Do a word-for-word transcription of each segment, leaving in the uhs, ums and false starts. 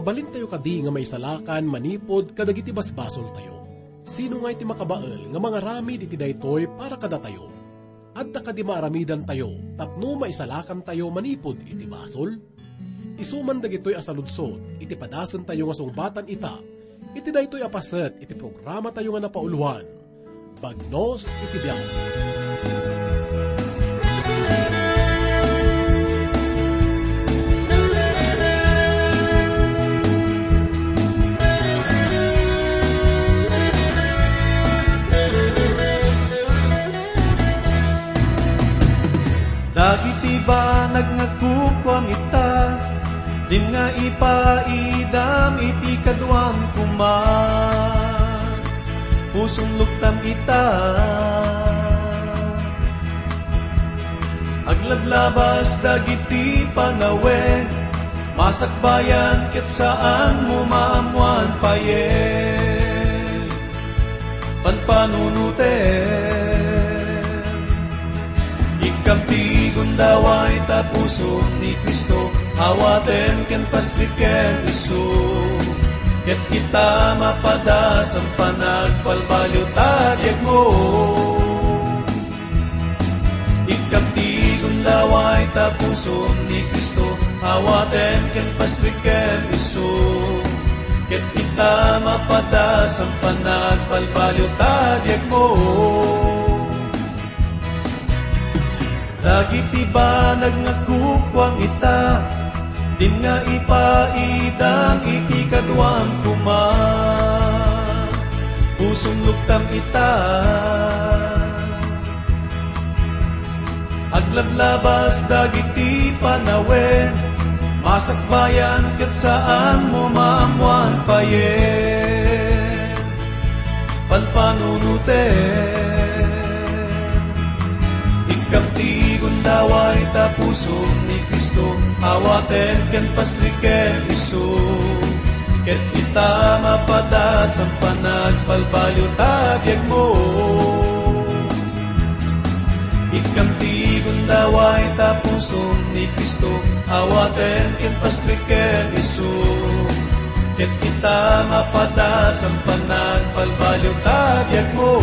Balintayo kadi nga maisalakan manipud kadagiti basbasoltayo. Sino ngay ti makabael nga mangaramid iti daytoy para kadatayo? Adda kadi maaramidantayo tapno maisalakantayo manipud iti basol? Isu man dagitoy a saludsod iti padasentayo nga sungbatan ita, iti daytoy a paset iti programatayo nga napauluan, Bagnos iti Biag. Dagiti banag nga kukuam ita, dim nga ipaidam iti kaduam koma. Pusom luktam ita. Aglablabas dagiti panawen, masakbayan ket saanmo maammoan payen. Panpanunotem. Ikkam ti gundaway ta pusom ni Cristo, awatem ken pastrek ken isu. Ket kita mapadas a panagbalbaliw ta biagmo. Ikkam ti gundaway ta pusom ni Cristo, awatem ken pastrek ken isu. Ket kita mapadas a panagbalbaliw ta biagmo. Dagiti banag nga kukuam ita, dim nga ipaidam iti kaduam koma. Pusom luktam ita. Aglablabas dagiti panawen, masakbayan ket saanmo maammoan payen. Panpanunotem. Ikkam ti gundaway ta pusom ni Cristo, awatem ken pastrek ken isu. Ket kita mapadas a panagbalbaliw ta biagmo. Ikkam ti gundaway ta pusom ni Cristo, awatem ken pastrek ken isu. Ket kita mapadas a panagbalbaliw ta biagmo.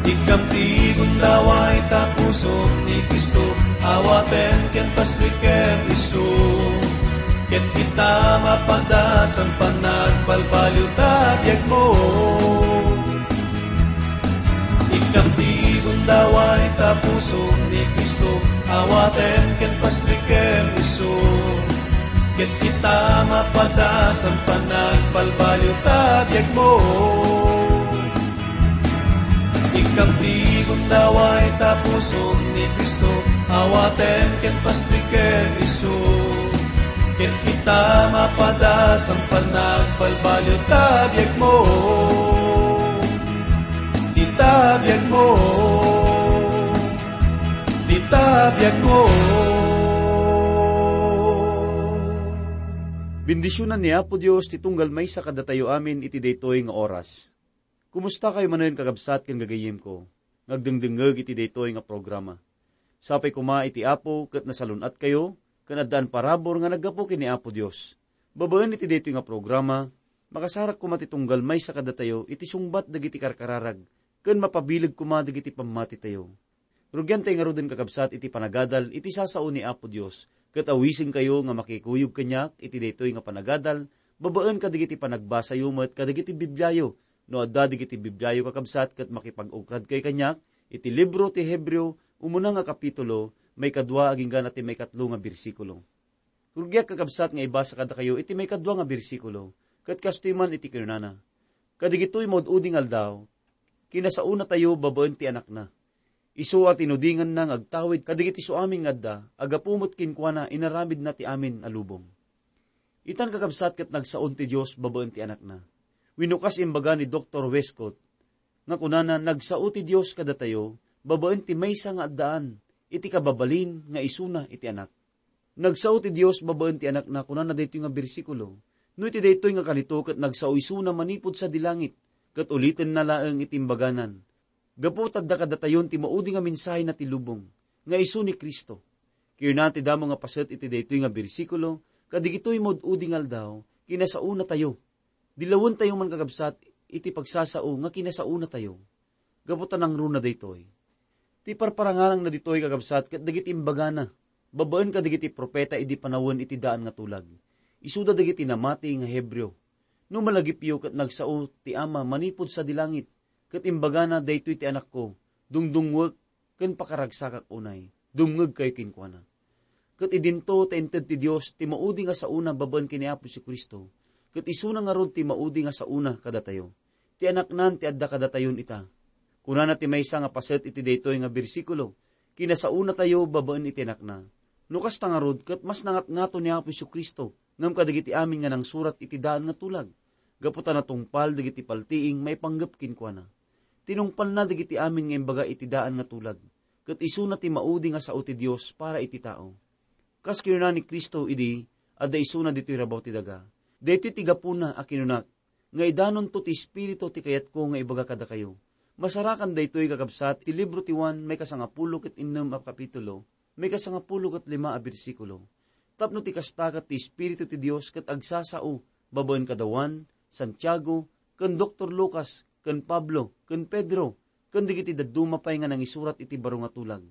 Ikkam ti gundaway ta pusom ni Cristo, awatem ken pastrek ken isu. Ket kita mapadas a panagbalbaliw ta biagmo. Ikkam ti gundaway ta pusom ni Cristo, awatem ken pastrek ken isu. Ket kita mapadas a panagbalbaliw ta biagmo. Ikkam ti gundaway ta pusom ni Cristo, awatem ken pastrek ken isu. Ket kita mapadas a panagbalbaliw ta biagmo. Dita biagmo. Dita biagmo. Bendisionan ni Apo Dios ti tunggal maysa kadatayo amin iti daytoy nga oras. Kumusta kayo manen, kakabsat ken gagayyemko nga agdengdengngeg iti daytoy nga programa? Sapay koma iti Apo ket nasalun-atkayo ken addaan parabur nga naggapu ken ni Apo Dios. Babaen iti daytoy nga programa, makasarak koma ti tunggal maysa kadatayo iti sungbat dagiti karkararag ken mapabileg koma dagiti pammatitayo. Rugiantay ngaruden, kakabsat, iti panagadal iti sasao ni Apo Dios, ket awisenkayo nga makikuyog kaniak iti daytoy nga panagadal babaen kadagiti panagbasayo met kadagiti Bibliayo. No adda dagiti Bibliayo, kakabsat, ket makipag-ukradkayo kaniak iti libro ti Hebreo, umuna nga kapitulo, maikadua agingga ti maikatlo nga bersikulo. Rugiak, kakabsat, nga ibasa kadakayo iti maikadua nga bersikulo, ket kastoy man iti kinunana, "Kadagitoy maud-udi nga aldaw, kinasaonatayo babaen ti Anakna. Isu a tinudinganna nga agtawid kadagiti suamin nga adda, a gapu met kenkuana inaramidna ti amin a lubong." Itan, kakabsat, ket nagsaon ti Dios babaen ti Anakna. Wenno kas imbaga ni Doktor Westcott, nga kunana, nagsao ti Dios kadatayo babaen ti maysa nga addaan iti kababalin nga isuna iti Anak. Nagsao ti Dios babaen ti Anakna, kunana daytoy nga bersikulo. No iti daytoy nga kalito ket nagsao isuna manipud sadi langit, ket ulitenna laeng iti imbaganan. Gapu ta adda kadatayon ti maudi nga mensahe na ti lubong, nga isu ni Cristo. Kinuna ti damo nga paset iti daytoy nga bersikulo, kadigitoy maud-udi nga aldaw, kinasaonatayo. Dilawentayo man, kakabsat, iti pagsasao nga kinasaonatayo. Gapu ta nangruna daytoy. Ti parparangarangna ditoy, kakabsat, ket dagiti imbagana, babaen kadagiti profeta idi panawen iti daan nga tulag. Isuda dagiti namati nga Hebreo. No malagipyo ket nagsao ti Ama manipud sadi langit, ket imbagana, daytoy ti Anakko, dungdungwek ken pakaragsakak unay. Dumngegkayo kenkuana. Ket idinto ta inted ti Dios ti maudi nga saona babaen ken ni Apo Jesu-Cristo, ket isuna ngarud ti maudi nga saona kadatayo. Ti Anaknan ti adda kadatayon ita. Kunana ti maysa nga paset iti daytoy nga bersikulo, kinasaonatayo babaen iti Anakna. No kasta ngarud, ket mas nangatngato ni Apo Jesu-Cristo ngem kadagiti amin nga nangsurat iti daan nga tulag, gapu ta natungpal dagiti paltiing maipanggep kenkuana. Tinungpalna dagiti amin nga imbaga iti daan nga tulag, ket isuna ti maudi nga sao ti Dios para iti tao. Kas kinuna ni Cristo idi adda isuna ditoy rabaw ti daga, "Daytoy ti gapuna a kinunak, nga idanonto ti Espiritu ti kayatko nga ibaga kadakayo." Masarakan daytoy, kakabsat, ti libro ti Juan, maikasangapulo ket innem a kapitulo, maikasangapulo ket lima a bersikulo. Tapno ti kasta ket ti Espiritu ti Dios ket agsasao babaen kada Juan, Santiago, ken Doktor Lucas, ken Pablo, ken Pedro, ken dagiti dadduma pay nga nangisurat iti baro nga tulag.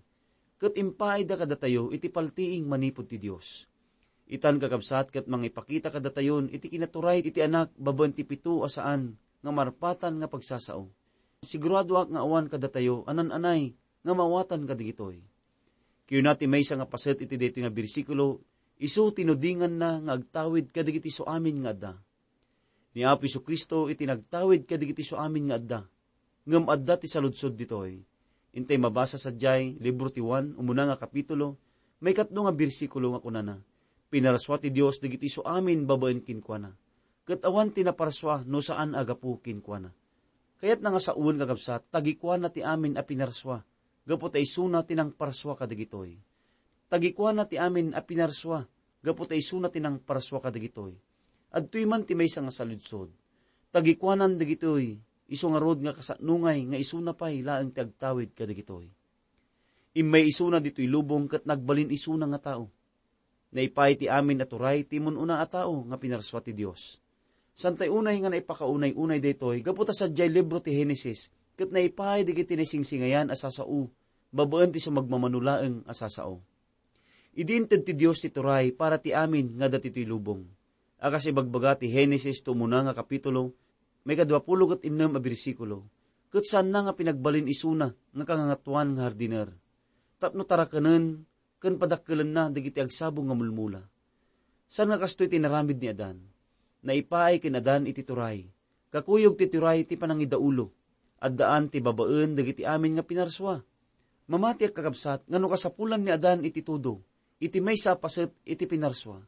Ket impaayda kadatayo iti paltiing manipud ti Dios. Itan, kakabsat, ket mangipakita kadatayon iti kinaturay iti Anak babaen ti pito a saan nga marpatan nga pagsasao. Siguradoak nga awan kadatayo a nan-anay nga maawatan kadagitoy. Kinuna ti maysa nga paset iti daytoy nga bersikulo, isu tinudinganna nga agtawid kadagiti suamin nga adda. Ni Apo Jesu-Cristo iti nagtawid kadagiti suamin nga adda. Ngem adda ti saludsod ditoy. Intay mabasa sadiay, libro ti Juan, umuna nga kapitulo, maikatlo nga bersikulo nga kunana, "Pinarsua ti Dios dagiti suamin babaen kenkuana. Ket awan ti naparsua no saan a gapu kenkuana." Kayatna nga saoen, kakabsat, tagikuana ti amin a pinarsua, gapu ta isuna ti nangparsua kadagitoy. Tagikuana ti amin a pinarsua, gapu ta isuna ti nangparsua kadagitoy. Adtoy man ti maysa nga saludsod. Tagikuanan dagitoy, isu ngarud nga kasatnongay nga isuna pay laeng ti agtawid kadagitoy. Immay isuna ditoy lubong ket nagbalin isuna nga tao. Naipaay ti amin a turay ti immun-una a tao nga pinarsua ti Dios. Saan tay unay nga naipakaunay-unay daytoy gapu ta sadiay libro ti Genesis ket naipaay dagiti naisingsingayan a sasao babaen ti sumagmamano laeng a sasao. Idi inted ti Dios ti turay para ti amin nga adda ditoy lubong, a kas ibagbaga ti Genesis ti umuna nga kapitulo, maikadua pulo ket innem a bersikulo, ket saanna nga pinagbalin isuna nga kangangatuan nga hardiner, tapno tarakenen ken padakkelenna dagiti agsabong nga mulmula. Saan nga kastoy ti inaramid ni Adan. Naipaay ken Adan iti turay. Kakuyog ti turay ti panangidaulo. Addaan ti babaen dagiti amin nga pinarsua. Mamatiak, kakabsat, nga no kasapulan ni Adan iti tudo, iti maysa a paset iti pinarsua,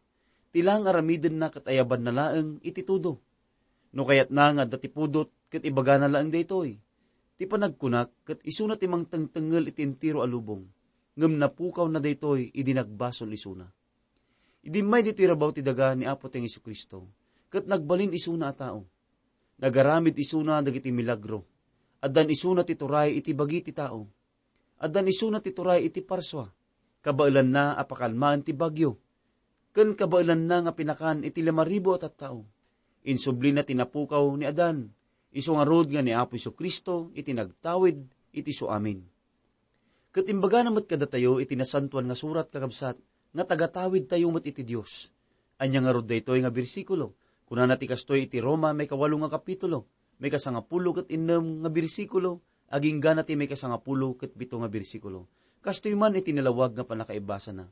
ti laeng aramidenna ket ayabanna laeng iti tudo. No kayatna nga adda ti pudot ket ibagana laeng daytoy. Ti panagkunak ket isuna ti mangtengtengngel iti entero a lubong, ngem napukawna daytoy idi nagbasol isuna. Idi immay ditoy rabaw ti daga ni Apo tayong Jesu-Cristo, ket nagbalin isuna a tao. Nagaramid isuna dagiti milagro. Addan isuna ti turay iti bagi ti tao. Addan isuna ti turay iti parsua. Kabaelanna a pakalmaen ti bagyo, ken kabaelanna nga pinakan iti lima ribu a tattao. Insublina ti napukaw ni Adan, isu ngarud nga ni Apo Jesu-Cristo iti nagtawid iti suamin. Ket imbagana met kadatayo iti Nasantoan nga Surat, kakabsat, nga tagatawidtayo met iti Dios. Ania ngarud daytoy nga bersikulo? Kunana ti kastoy iti Roma, maikawalo nga kapitulo, maikasangapulo ket innem nga bersikulo, agingga na ti maikasangapulo ket pito nga bersikulo. Kastoy man iti nalawag nga pannakaibasana.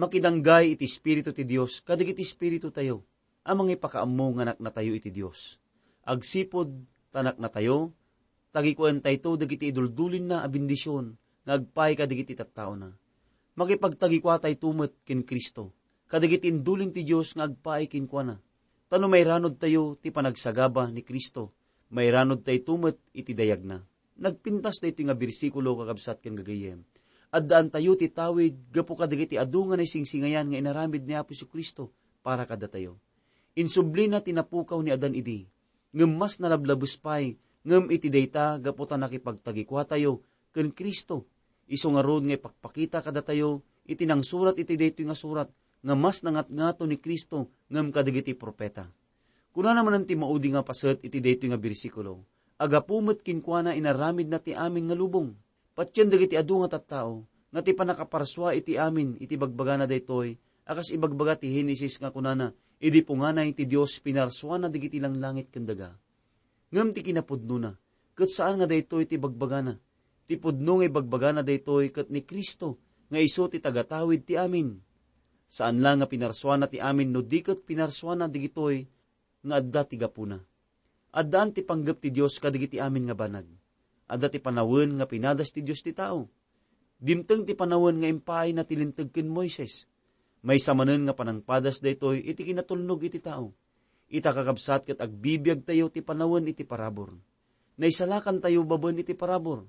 Makidanggay iti Espiritu ti Dios kadagiti espiritutayo a mangipakaammo nga anaknatayo iti Dios. Agsipud ta anaknatayo, tagikuentayto dagiti iduldulinna a bendision nga agpaay kadagiti tattaona. Makipagtagikuatayto met ken Cristo kadagiti indulin ti Dios nga agpaay kenkuana. Ta no mairanodtayo ti panagsagaba ni Cristo, mairanodtayto met iti dayagna. Nagpintas daytoy nga bersikulo, kakabsat ken gagayyem. Addaantayo ti tawid gapu kadagiti adu nga naisingsingayan nga inaramid ni Apo Jesu-Cristo para kadatayo. Insublina ti napukaw ni Adan idi, ngem mas nalablabes pay ngem iti dayta gapu ta nakipagtagikuatayo ken Cristo. Isu ngarud nga ipakpakita kadatayo iti nangsurat iti daytoy nga surat nga mas nangatngato ni Cristo ngem kadagiti profeta. Kunana manen ti maudi nga paset iti daytoy nga bersikulo, "Agapu met kenkuana inaramidna ti amin nga lubong." Patien dagiti adu nga tattao nga ti pannakaparsua iti amin iti bagbagana daytoy a kas ibagbaga ti Genesis nga kunana, "Idi punganay ti Dios, pinarsuana dagiti langlangit ken daga." Ngem ti kinapudnona, ket saan nga daytoy ti bagbagana. Ti pudno nga ibagbagana daytoy ket ni Cristo nga isu ti tagatawid ti amin. Saan la nga pinarsuana ti amin no di ket pinarsuana dagitoy nga adda ti gapuna. Addaan ti panggep ti Dios kadagiti amin nga banag. Adda ti panawen nga pinadas ti Dios ti tao. Dimteng ti panawen nga impaayna ti Linteg ken Moises. Maysa manen nga panangpadas daytoy iti kinatulnog iti tao. Ita, kakabsat, ket agbibiagtayo ti panawen iti parabur. Naisalakantayo babaen iti parabur.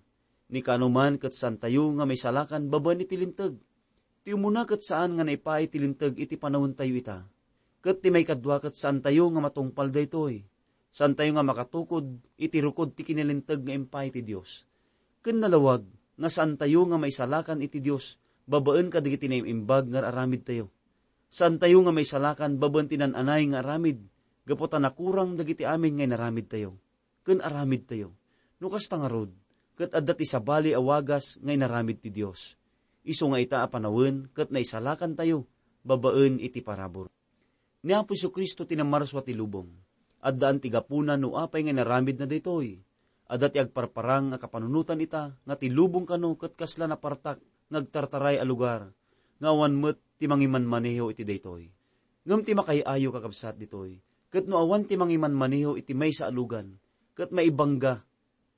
Ni kaano man ket saantayo nga maisalakan babaen iti Linteg. Ti umuna ket saan nga naipaay ti Linteg iti panawentayo ita. Ket ti maikadua ket saantayo nga matungpal daytoy. Saantayo nga makatukod iti rukod ti kinalinteg nga impaay ti Dios. Ken nalawag nga saantayo nga maisalakan iti Dios babaen kadagiti naim-imbag nga aramidtayo. Saantayo nga maisalakan babaen ti naan-anay nga aramid gapu ta nakurang dagiti amin nga inaramidtayo ken aramidtayo. No kasta ngarud, ket adda ti sabali a wagas nga inaramid ti Dios. Isu nga ita a panawen ket naisalakantayo babaen iti parabur. Ni Apo Jesu-Cristo ti namarsua ti lubong. Addaan ti gapuna no apay nga inaramidna daytoy. Adda ti agparparang a kapanunotan ita nga ti lubong kano ket kasla napartak nga agtartaray a lugar, nga awan met ti mangimanmaneho iti daytoy. Ngem ti makaay-ayo, kakabsat, ditoy, ket no awan ti mangimanmaneho iti maysa a lugan, ket maibangga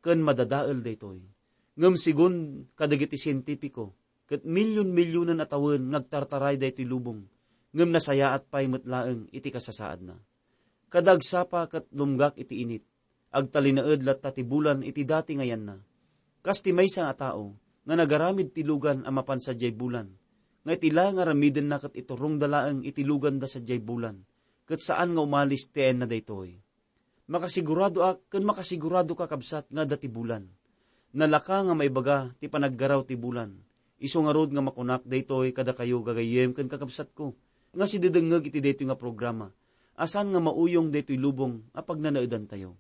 ken madadael daytoy. Ngem segun kadagiti sientipiko, ket milyon-milyonen a tawen nga agtartaray daytoy lubong, ngem nasayaat pay met laeng iti kasasaadna. Kada agsapa ket lumgak iti init, agtalinaed latta ti bulan iti dati nga yanna. Kas ti maysa a tao nga nagaramid ti lugan a mapan sadiay bulan, nga iti la nga aramidenna ket iturongda laeng iti luganda sadiay bulan, ket saan nga umalis ti ayanna daytoy. Makasiguradoak ken makasiguradoka, kabsat, nga adda ti bulan. Nalaka nga maibaga ti panaggaraw ti bulan. Isu ngarud nga makunak daytoy kadakayo, gagayyem ken kakabsatko, nga sidedengngeg iti daytoy nga programa, a saan nga mauyong daytoy lubong a pagnanaedantayo.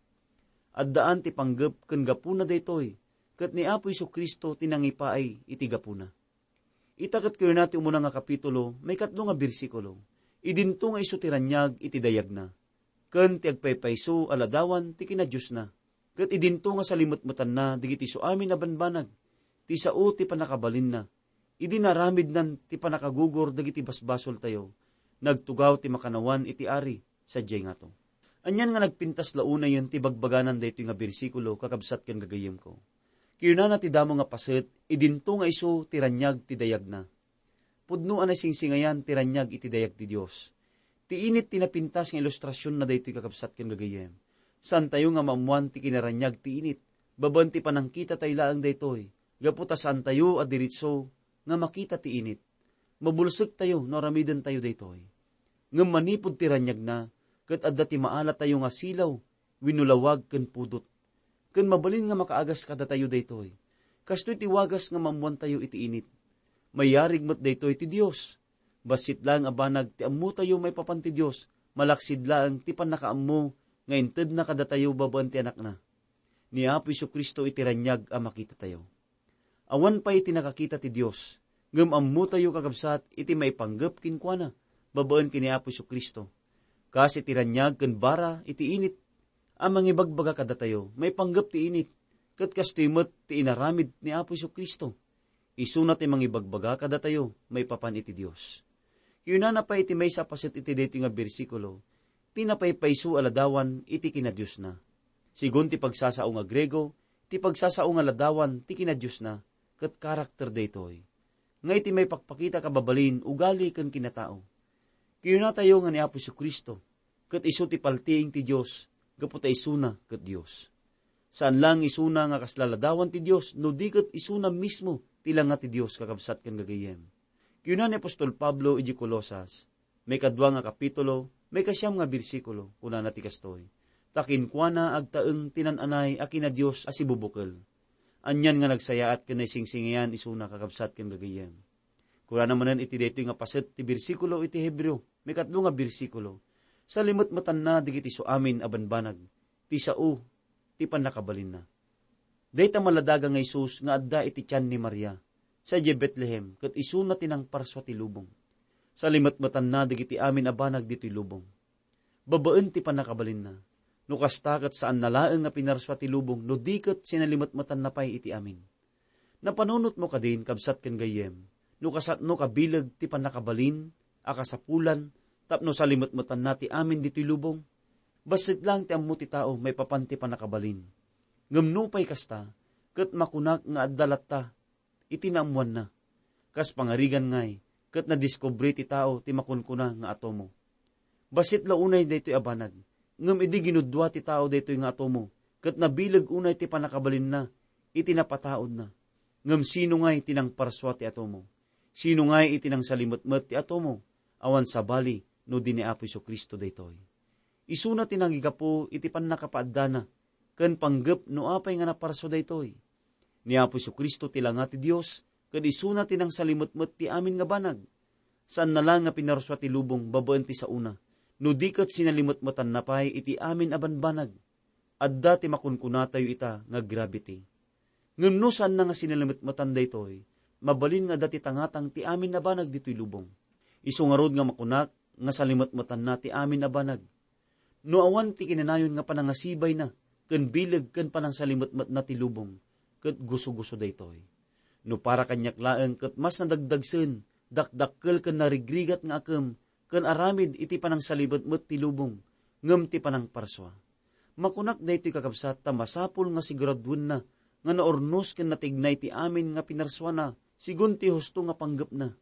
Addaan ti panggep ken gapuna daytoy, ket ni Apo Jesu-Cristo ti nangipaay iti gapuna. Ita ket kunana ti umuna nga kapitulo, maikatlo nga bersikulo, "Idinto nga isu ti raniag iti dayagna, ken ti agpaypayso a ladawan ti kinadiosna, ket idinto nga salimetmetanna dagiti isuamin a banbanag, ti sao ti pannakabalinna, idi naaramidnan ti pannakagugor dagiti basbasoltayo, nagtugaw ti makannawan iti ari sadiay ngato." Anian nga nagpintas la unayen ti bagbaganan daytoy nga bersikulo, kakabsat ken gagayyemko. Kinunana ti damo nga paset, "Idinto nga isu ti raniag ti dayagna." Pudno a naisingsingayan ti raniag iti dayag ti Dios. Ti init ti napintas nga ilustrasionna daytoy, kakabsat ken gagayyem. Saantayo nga maammuan ti kinaraniag ti init. Babaen ti panangkitatayo laeng daytoy, gapu ta saantayo a diritso nga makita ti init. Mabulsektayo no aramidentayo daytoy. Ngem manipud ti raniagna, ket adda ti maalatayo nga silaw wenno lawag ken pudot. Ken mabalin nga makaagas kadatayo daytoy. Kastoy ti wagas nga maammuantayo iti init. Mayarig met daytoy ti Dios. Bassit laeng a banag ti ammotayo maipapan ti Dios, malaksid laeng ti pannakaammo nga intedna kadatayo babaen ti Anakna. Ni Apo Jesu-Cristo iti raniag a makitatayo. Awan pay ti nakakita ti Dios, ngem ammotayo, kakabsat, iti maipanggep kenkuana babaen ken ni Apo Jesu-Cristo. Kas iti raniag ken bara iti init a mangibagbaga kadatayo, maipanggep ti init, ket kastoy met ti inaramid ni Apo Jesu-Cristo. Isuna ti mangibagbaga kadatayo maipapan iti Dios. Kinunana pay iti maysa a paset iti daytoy nga bersikulo, "Ti napaypayso a ladawan iti kinadiosna." Sigun ti pagsasao nga Griego, ti pagsasao nga ladawan ti kinadiosna, ket karakter daytoy nga iti maipakpakita kababalin, ugali ken kinatao. Kinunatayo nga ni Apo Jesu-Cristo, ket isu ti paltiing ti Dios, gapu ta isuna ket Dios. Saan lang isuna nga kasla ladawan ti Dios, no di ket isuna mismo ti langa ti Dios, kakabsat ken gagayyem. Kinuna ni apostol Pablo iti Colosas, maikadua nga kapitulo, maikasiam nga bersikulo, kunana ti kastoy, "Ta kenkuana agtaeng ti nan-anay a kinadios a sibubukel." Anian nga nagsayaat ken naisingsingayan isuna, kakabsat ken gagayyem. Kunana manen iti daytoy nga paset ti bersikulo iti Hebreo, maikatlo nga bersikulo, "Salimetmetanna dagiti isuamin a banbanag ti sao ti pannakabalinna." Dayta maladaga nga Jesus nga adda iti tian ni Maria, sadiay Betlehem, ket isuna ti nangparsua ti lubong. Salimetmetanna dagiti amin a banag ditoy lubong. Babaen ti pannakabalinna. No kasta, ket saanna laeng nga pinarsua ti lubong, no di ket sinalimetmetanna pay iti amin. Napanunotmo kadin, kabsat ken gayyem, no kasano kabileg ti pannakabalin a kasapulan tapno salimetmetanna ti amin ditoy lubong? Bassit laeng ti ammo ti tao maipapan ti pannakabalin. Ngem nupay kasta, ket makunak nga adda latta iti naammoanna. Kas pangarigan ngay, ket nadiskubre ti tao ti makunkuna nga atomo. Bassit la unay daytoy a banag, ngem idi ginudua ti tao daytoy nga atomo, ket nabileg unay ti pannakabalinna iti napataudna. Ngem sino ngay ti nangparsua ti atomo? Sino ngay iti nangsalimetmet ti atomo? Awan sabali no di ni Apo Jesu-Cristo daytoy. Isuna ti nangigapu iti pannakapaaddana, ken panggep no apay nga naparsua daytoy. Ni Apo Jesu-Cristo ti langa ti Dios, ket isuna ti nangsalimetmet ti amin nga banag. Saanna la nga pinarsua ti lubong babaen ti saona, no di ket sinalimetmetanna pay iti amin a banbanag. Adda ti makunkunatayo ita nga gravity. Ngem no saanna nga sinalimetmetan daytoy, mabalin nga adda ti tangatang ti amin a banag ditoy lubong. Isu ngarud nga makunak nga salimetmetanna ti amin a banag. No awan ti kinanayon nga panangasibayna ken bileg ken panangsalimetmetna ti lubong, ket guso-guso daytoy. No para kaniak laeng, ket mas nadagdagsen, dakdakkel ken narigrigat nga akem ken aramid iti panangsalimetmet ti lubong ngem ti panangparsua. Makunak daytoy, kakabsat, ta masapul nga siguraduenna nga naurnos ken natignay ti amin nga pinarsuana, sigun ti husto nga panggepna.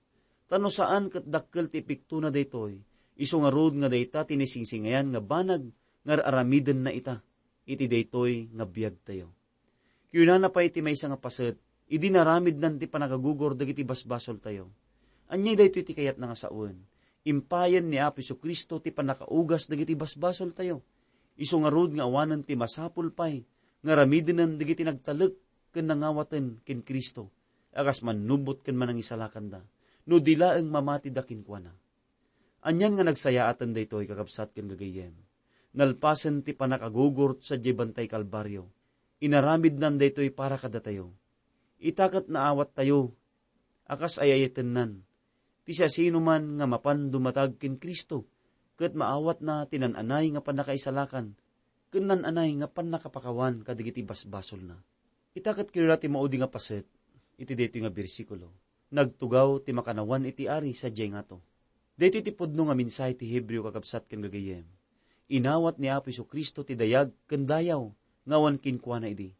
Ta no saan ket dakkel ti epektona daytoy, isu ngarud nga dayta ti naisingsingayan nga banag nga ar-aramidenna ita iti daytoy nga biagtayo. Kinunana pay ti maysa nga paset, idi naramidnan ti pannakagugor dagiti basbasoltayo. Ania daytoy ti kayatna nga sawen? Impayen ni Apo Jesu-Cristo ti pannakaugas dagiti basbasoltayo. Isu ngarud nga awanen ti masapul pay nga aramidenen dagiti nagtalek ken nangawaten ken Cristo a kas mannubot ken manangisalakanda, no di laeng mamatida kenkuana. Anian nga nagsayaaten daytoy, kakabsat ken gagayyem. Nalpasen ti pannakagugor sadiay Bantay Kalbario, inaramidnan daytoy para kadatayo. Ita ket naawattayo a kas ay-ayatennan. Ti siasinoman nga mapan dumatag ken Cristo, ket maawatna ti nan-anay nga pannakaisalakan ken nan-anay nga pannakapakawan kadagiti basbasolna. Ita ket kinuna ti maudi nga paset iti daytoy nga bersikulo, "Nagtugaw ti makannawan iti ari sadiay ngato." Daytoy ti pudno nga mensahe ti Hebreo, kakabsat ken gagayyem. Inawat ni Apo Jesu-Cristo ti dayag ken dayaw nga awan kenkuana idi.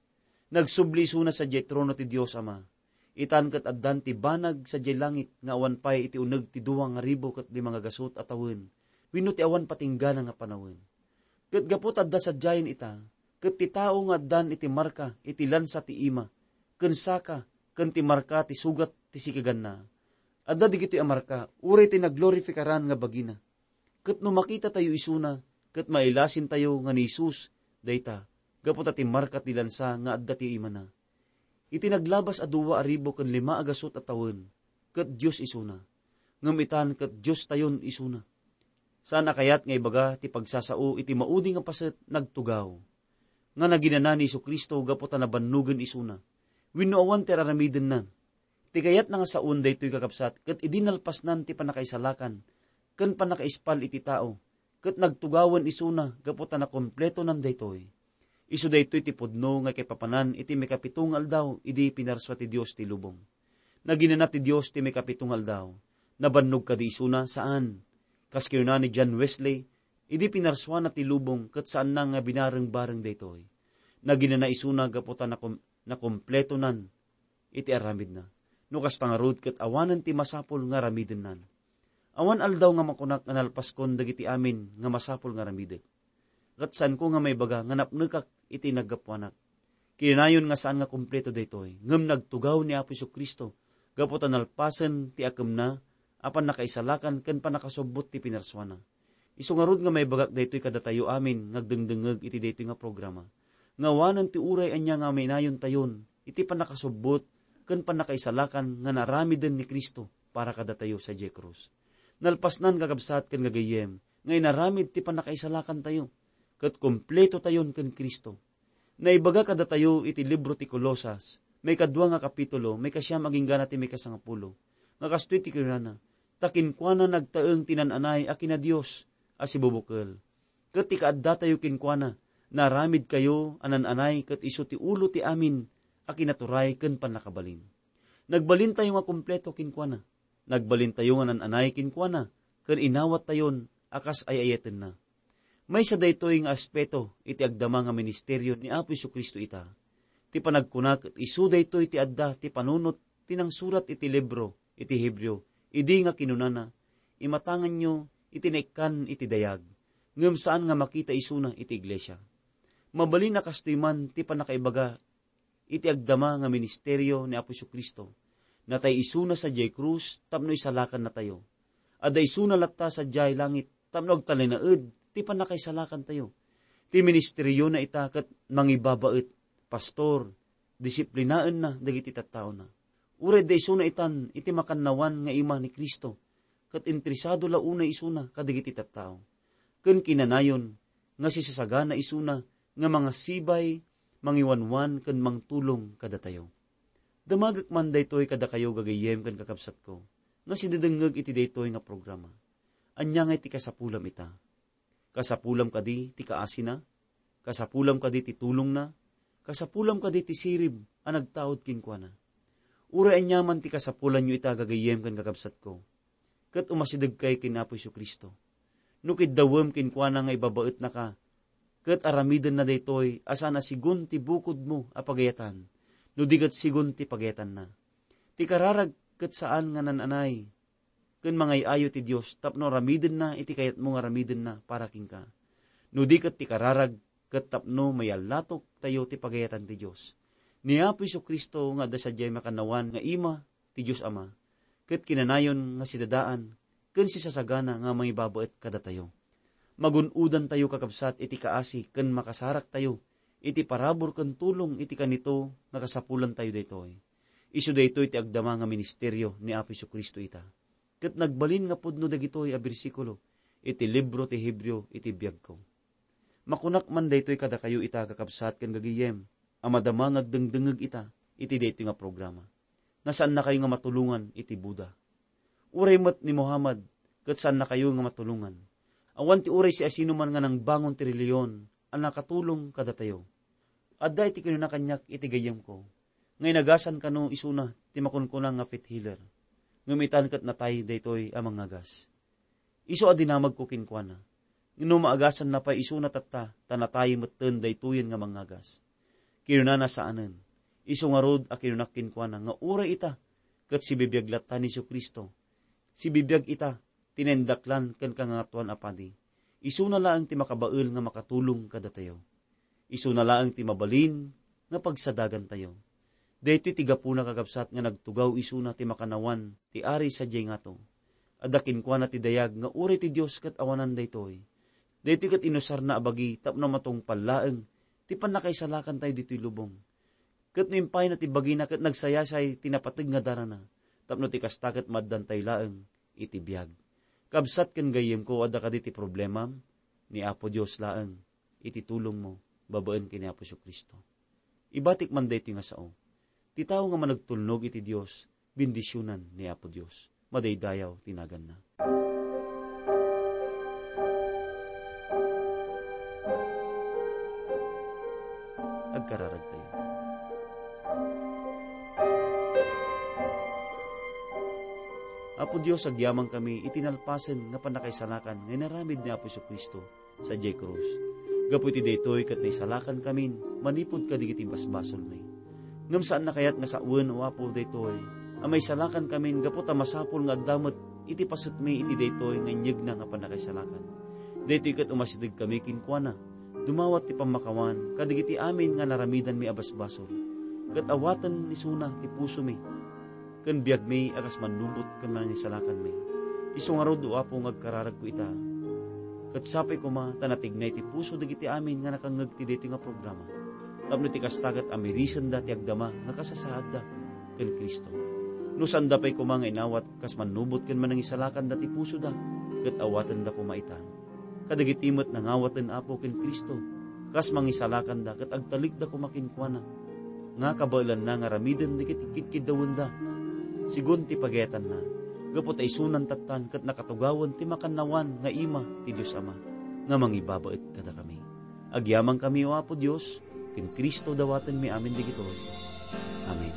Nagsubli isuna sadiay trono ti Dios Ama. Itan ket addan ti banag sadiay langit nga awan pay iti uneg ti dua nga ribu ket lima nga gasut a tawen wenno ti awan patinggana nga panawen. Ket gapu ta adda sadiayen ita, ket ti tao nga addan iti marka iti lansa ti ima, ken saka, ken ti marka ti sugat ti sikaganna, adda dagitoy a marka uray ti naglorifikaran nga bagina. Ket no makitatayo isuna, ket mailasintayo nga ni Jesus dayta, gapu ta ti marka ti lansa nga adda ti imana. Iti naglabas a dua a ribu ken lima a gasut a tawen, ket Dios isuna. Ngem itan ket Diostayon isuna. Saan a kayat nga ibaga ti pagsasao iti maudi nga paset, nagtugaw, nga naginana ni Jesu-Cristo gapu ta nabannogen isuna, wenno awan ti ar-aramidenna. Ti kayatna nga saon daytoy, kakabsat, ket idi nalpasnan ti pannakaisalakan ken pannakaispal iti tao, ket nagtugawen isuna gapu ta nakompletonan daytoy. Isu daytoy ti pudno nga kaipapanan iti maikapito nga aldaw idi pinarsua ti Dios ti lubong. Naginana ti Dios ti maikapito nga aldaw. Nabannog kadi isuna? Saan. Kas kinuna ni John Wesley, idi pinarsuana ti lubong ket saanna nga binareng-bareng daytoy. Naginana isuna gapu ta nakom-, nakompletonan iti aramidna. No kasta ngarud, ket awanen ti masapul nga aramidennan. Awan aldaw nga makunak nga nalpaskon dagiti amin nga masapul nga aramidek. Ket saanko nga maibaga nga napnekak iti naggapuanak. Kinanayon nga saan nga kumpleto daytoy, ngem nagtugaw ni Apo Jesu-Cristo gapu ta nalpasen ti akemna a pannakaisalakan ken pannakasubbot ti pinarsuana. Isu ngarud nga maibagak daytoy kadatayo amin nga agdengdengngeg iti daytoy nga programa, nga awanen ti uray ania nga mainayontayon iti pannakasubbot ken pannakaisalakan nga naramiden ni Cristo para kadatayo sadiay krus. Nalpasnan, kakabsat ken gagayyem, nga inaramid ti pannakaisalakantayo, ket kumpletotayon ken Cristo. Naibaga kadatayo iti libro ti Colosas, maikadua nga kapitulo, maikasiam agingga ti maikasangapulo, nga kastoy ti kinunana, "Ta kenkuana nagtaeng ti nan-anay a kinadios a sibubukel, ket ti kaaddatayo kenkuana, naaramidkayo a nan-anay ket isu ti ulo ti amin a kinaturay ken pannakabalin." Nagbalintayo nga kumpleto kenkuana. Nagbalintayo nga nan-anay kenkuana, ken inawattayon a kas ay-ayatenna. Maysa daytoy nga aspeto iti agdama nga ministerio ni Apo Jesu-Cristo ita. Ti panagkuna ket isu daytoy ti adda ti panunot ti nangsurat iti libro iti Hebreo, idi nga kinunana, "Imatanganyo iti naikkan iti dayag," ngem saan nga makita isuna iti iglesia. Mabalin a kastoy man ti pannakaibaga iti agdama nga ministerio ni Apo Jesu-Cristo. Natay isuna sadiay krus tapno isalakannatayo. Adda isuna latta sadiay langit tapno agtalinaed ti pannakaisalakantayo. Ti ministeriona ita ket mangibabaet, pastor, disiplinaenna dagiti tattaona. Uray adda isuna itan iti makannawan nga ima ni Cristo, ket interesado la unay isuna kadagiti tattao. Ken kinanayon nga sisasagana isuna nga mangasibay, mangiwanwan, ken mangtulong kadatayo. Damagek man daytoy kadakayo, gagayyem ken kakabsatko, nga sidedengngeg iti daytoy nga programa. Ania ngay ti kasapulam ita? Kasapulam kadi ti kaasina? Kasapulam kadi ti tulongna? Kasapulam kadi ti sirib a nagtaud kenkuana? Uray aniaman ti kasapulanyo ita, gagayyem ken kakabsatko, ket umasidegkay ken Apo Jesu-Cristo. No kiddawem kenkuana nga ibabaetnaka, ket aramidenna daytoy a saan a sigun ti bukodmo a pagayatan, no di ket sigun ti pagayatanna. Ti kararag ket saan nga nan-anay ken mangay-ayo ti Dios tapno aramidenna iti kayatmo nga aramidenna para kenka. No di ket ti kararag ket tapno mayallatoktayo ti pagayatan ti Dios. Ni Apo Jesu-Cristo nga adda sadiay makannawan nga ima ti Dios Ama, ket kinanayon nga sidadaan ken sisasagana nga mangibabaet kadatayo. Magun-odantayo, kakabsat, iti kaasi ken makasaraktayo iti parabur ken tulong iti kanito nga kasapulantayo daytoy. Isu daytoy ti agdama nga ministerio ni Apo Jesu-Cristo ita. Ket nagbalin nga pudno dagitoy a bersikulo iti libro ti Hebreo iti biagko. Makunak man daytoy kadakayo ita, kakabsat ken gagayyem, a madama nga agdengdengngeg ita iti daytoy nga programa, nga saannakayo nga matulongan iti Buddha. Uray met ni Muhammad, ket saannakayo nga matulongan. Awan ti uray siasinoman nga nangbangon ti relihiyon a nakatulong kadatayo. Adda iti kinuna kaniak iti gayyemko, nga inagasan kano isuna ti makunkuna nga faith healer. Ngem itan ket natay daytoy a mangagas. Isu a dinamagko kenkuana, no maagasanna pay isuna tatta, ta natay metten daytoyen nga mangagas. Kinunana, saanen. Isu ngarud a kinunak kenkuana nga uray ita ket sibibiag latta ni Jesu-Cristo. Sibibiag ita ti naindaklan ken kangangatuan a padi. Isuna laeng ti makabael nga makatulong kadatayo. Isuna laeng ti mabalin nga pagsadagantayo. Daytoy ti gapuna, kakabsat, nga nagtugaw isuna ti makannawan ti Ari sadiay ngato. Adda kenkuana ti dayag nga uray ti Dios ket awanan daytoy. Daytoy ket inusarna a bagi tapno matungpal laeng ti pannakaisalakantayo ditoy lubong. Ket no impayna ti bagina ket nagsayasay ti napateg nga darana, tapno ti kasta ket maaddantayo laeng iti biag. Kabsat ken gayyemko, adda kadi ti problemam? Ni Apo Dios laeng iti tulongmo babaen ken ni Apo Jesu-Cristo. Ibatik man daytoy nga sao. Ti tao nga managtulnog iti Dios, bendisionan ni Apo Dios. Madaydayaw ti naganna. Agkararagtayo. Apo Dios, agyamankami iti nalpasen nga pannakaisalakan nga inaramid ni Apo Jesu-Cristo sadiay krus. Gapu iti daytoy ket naisalakankamin manipud kadagiti basbasolmi. Ngem saanna kayat nga sawen, O Apo, daytoy a maisalakankamin gapu ta masapul nga adda met iti pasetmi iti daytoy nga inyegna nga pannakaisalakan. Daytoy ket umasidegkami kenkuana. Dumawat ti pammakawan kadagiti amin nga naramidanmi a basbasol, ket awaten isuna ti pusomi ken biagmi a kas mannubot ken manangisalakanmi. Isu ngarud, O Apo, nga agkararagko ita, ket sapay koma ta natignay ti puso dagiti amin nga nakangngeg ti daytoy nga programa, tapno ti kasta ket amirisenda ti agdama nga kasasaadda ken Cristo. No sanda pay koma nga inawat kas mannubot ken manangisalakanda ti pusoda, ket awatenda koma ita. Kadagiti met nangawaten, Apo, ken Cristo, kas mangisalakanda ket agtalekda koma kenkuana, nga kabaelanna nga aramiden dagiti kidkiddawenda, sigun ti pagayatanna, gapu ta isunan tattan ket nakatugawen ti makannawan nga ima ti Dios Ama, nga mangibabaet kadakami. Agyamankami, O Apo Dios, ken Cristo dawatenmi amin dagitoy. Amen.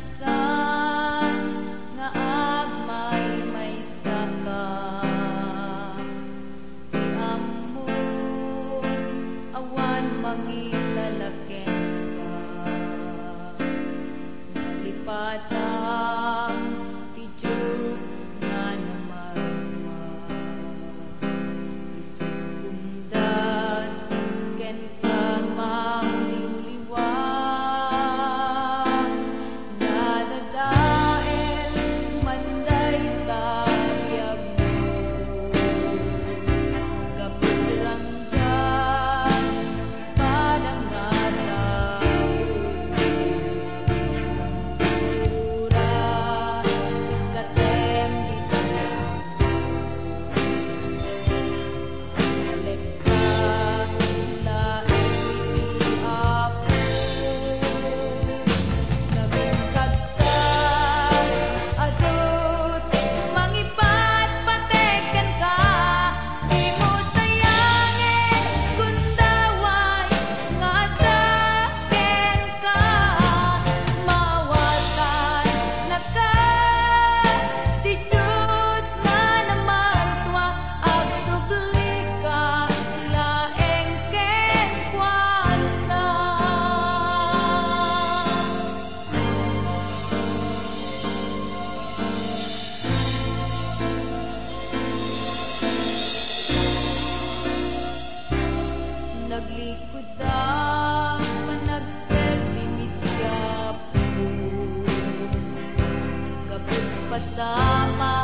Masansan nga agmaymaysaka, ti ammon awan mangilala kenka. Nalipatan ti Dios nga namarsua. Isu umdas kenka mangliwliwa. Nadadael man dayta biagmo. Kapitranggan padang nga tao. Ura, katem di tanan. Alekka, laeng iti Apo. Nagkagsa, adu ti mangipatpateg kenka. Dimo sayangen, gundaway nga adda kenka. Mawatanaka ti Dios nga namarsua, agsublika laeng kenkuana. Naglikudam, panagserbim iti Apo. Kapagpasama,